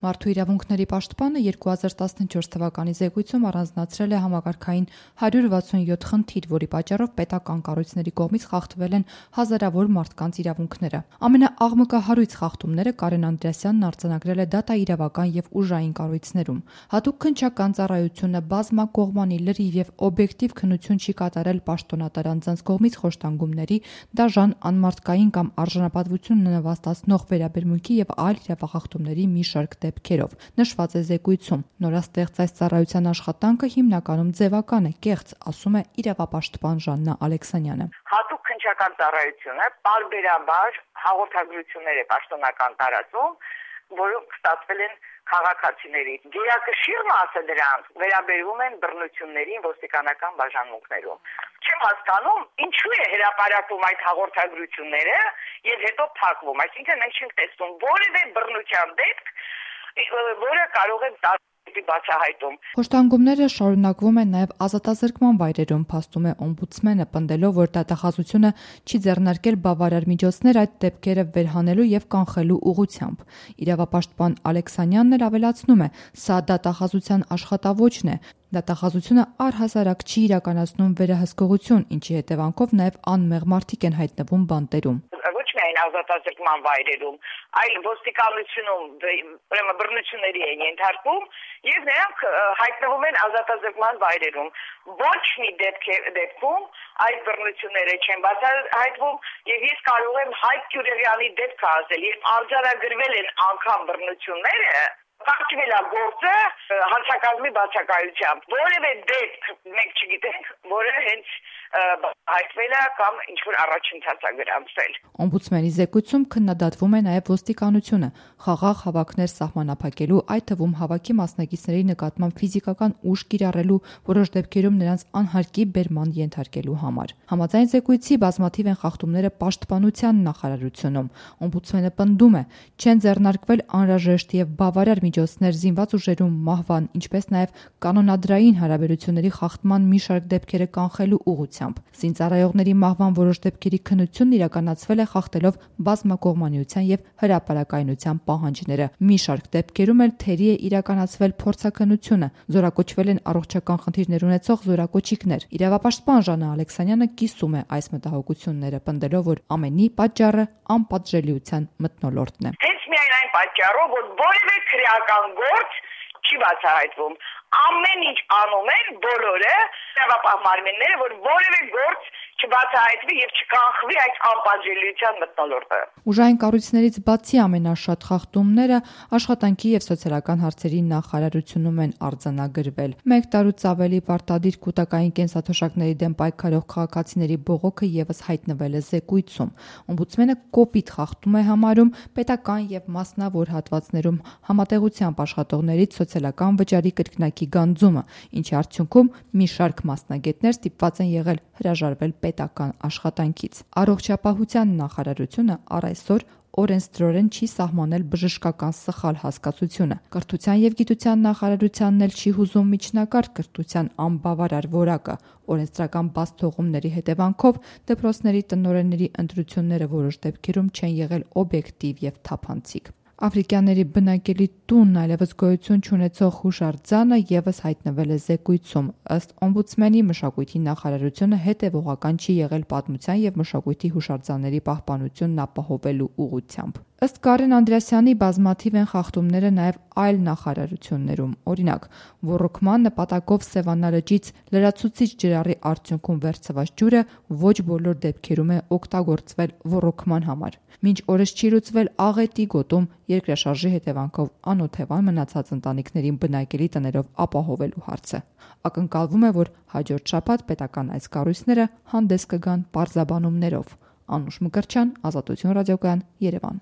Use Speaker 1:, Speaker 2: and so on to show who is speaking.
Speaker 1: Մարդու իրավունքների պաշտպանը 2014 թվականի զեկույցում առանձնացրել է համակարգային 167 խնդիր, որի պատճառով պետական կառույցների կողմից խախտվել են հազարավոր մարդկանց իրավունքները։ Ամենաաղմկահարույց խախտումները Կարեն Անդրեասյանն արձանագրել է դատաիրավական եւ ուժային կառույցներում։ Հատուկ քննչական ծառայությունը բազմակողմանի լրիվ եւ օբյեկտիվ քննություն չի կատարել պաշտոնատար անձանց կողմից խոշտանգումների, դաժան, անմարդկային կամ արժանապատվություն նվաստացնող վերաբերմունքի եւ այլ իրավախախտումների մի շարք դեպքերով, նշված է զեկույցում։ Նորաստեղծ այս ծառայության աշխատանքը հիմնականում ձևական է, կեղծ, ասում է իրավապաշտպան Ժաննա Ալեքսանյանը։
Speaker 2: Հատուկ քննչական ծառայությունը պարբերաբար հաղորդագրություններ է պաշտոնական տարածում, որոնք ստացվել են քաղաքացիների։ Գերակշիռ մասը դրանց վերաբերվում են բռնություններին ոստիկանական բաժանմունքներում։ Չեմ հասկանում, ինչու է հրապարակվում այդ հաղորդագրությունները եւ հետո փակվում։ Այսինքն մենք չենք տեսնում որևէ բռնության դեպք, որը կարող է բացահայտում։
Speaker 1: Խոշտանգումները շարունակվում են նաև ազատազրկման վայրերում, փաստում է օմբուդսմենը, պնդելով, որ դատախազությունը չի ձեռնարկել բավարար միջոցներ այդ դեպքերը վերհանելու եւ կանխելու ուղղությամբ։ Իրավապաշտպան Ալեքսանյանն էլ ավելացնում է, սա դատախազության աշխատավոճն է։ Դատախազությունը առհասարակ չի իրականացնում վերահսկողություն, ինչի հետևանքով նաև անմեղ մարդիկ են հայտնվում բանտերում։
Speaker 2: Ոչ միայն ազատազրկման վայրերում, այլ ոստիկանությունում բռնությունների են ենթարկվում եւ նրանք հայտնվում են ազատազրկման վայրերում։ Ոչ մի դեպքում այդ բռնությունները չեն բացահայտվում եւ ես կարող եմ Հայկ Գյուրեղյանի դեպքը ասել, երբ արձանագրվել են անգամ բռնությունները, կարգվել է գործը հանցակազմի բացակայությամբ։ Որևէ դեպք մենք չգիտենք, որը հենց հայտնվել է կամ ինչ-որ առաջընթաց է գրանցվել։
Speaker 1: Օմբուդսմենի զեկույցում քննադատվում է նաև ոստիկանությունը խաղաղ հավաքներ սահմանափակելու, այդ թվում հավաքի մասնակիցների նկատմամբ ֆիզիկական ուժ կիրառելու, որոշ դեպքերում նրանց անհարկի բերման ենթարկելու համար։ Համաձայն զեկույցի բազմաթիվ են խախտումները պաշտպանության նախարարությունում։ Օմբուդսմենը պնդում է, չեն ձեռնարկվել անհրաժեշտ եւ բավարար միջոցներ զինված ուժերում մահվան, ինչպես նաև կանոնադրային հարաբերությունների խախտման մի շարք դեպքերը կանխելու ուղղությամբ։ Զինծառայողների մահվան որոշ դեպքերի քննությունն իրականացվել է խախտելով բազմակողմանիության եւ հրապարակայնության պահանջները։ Մի շարք դեպքերում էլ թերի է իրականացվել փորձաքննությունը, զորակոչվել են առողջական խնդիրներ ունեցող զորակոչիկներ։ Իրավապաշտպան Ժաննա Ալեքսանյանը կիսում է այս մտահոգությունները, պնդելով, որ ամենի պատճառը անպատժելիության մթնոլորտն է։
Speaker 2: Հենց միայն այն պատճառով, որ որևէ քրեական գործ չի բացահայտվում։ Ամեն ինչ անում են բոլորը, իրավապահ մարմինները, որ որևէ գործ չբացահայտվի եւ չկանխվի այդ անպատժելիության մթնոլորտը։
Speaker 1: Ուժային կառույցներից բացի ամենաշատ խախտումները աշխատանքի եւ սոցիալական հարցերի նախարարությունում են արձանագրվել։ 1 տարուց ավելի պարտադիր կൂട്ടակային կենսաթոշակների դեմ պայքարող քաղաքացիների բողոքը եւս հայտնվել է զեկույցում։ Օմբուդսմենը կոպիտ խախտում է համարում պետական եւ մասնավոր հատվածներում համատեղությամբ աշխատողներից սոցիալական վճարի կրկնակի գանձումը, ինչի արդյունքում մի շարք մասնագետներ ստիպված են եղել հրաժարվել պետական աշխատանքից։ Առողջապահության նախարարությունը առ այսօր օրենսդրորեն չի սահմանել բժշկական սխալ հասկացությունը։ Կրթության եւ գիտության նախարարությանն էլ չի հուզում միջնակարգ կրթության անբավարար որակը։ Օրենսդրական բաց թողումների հետևանքով դպրոցների տնօրենների ընտրությունները որոշ դեպքերում չեն եղել օբյեկտիվ եւ թափանցիկ։ Աֆրիկյանների բնակելի տունն այլևս գոյություն չունեցող հուշարձանը եւս հայտնվել է զեկույցում։ Ըստ օմբուդսմենի մշակույթի նախարարությունը հետևողական չի եղել պատմության եւ մշակույթի հուշարձանների պահպանությունն ապահովելու ուղղությամբ։ Ըստ Կարեն Անդրեասյանի բազմաթիվ են խախտումները նաև այլ նախարարություններում։ Օրինակ, ոռոգման նպատակով Սևանա լճից լրացուցիչ ջրառի արդյունքում վերցված ջուրը ոչ բոլոր դեպքերում է օգտագործվել ոռոգման համար։ Մինչ օրս չի լուծվել Աղետի գոտում երկրաշարժի հետևանքով անօթևան մնացած ընտանիքներին բնակելի տներով ապահովելու հարցը։ Ակնկալվում է, որ հաջորդ շաբաթ պետական այս կառույցները հանդես կգան պարզաբանումներով։ Անուշ Մկրտչյան, Ազատություն ռադիոկայան, Երևան։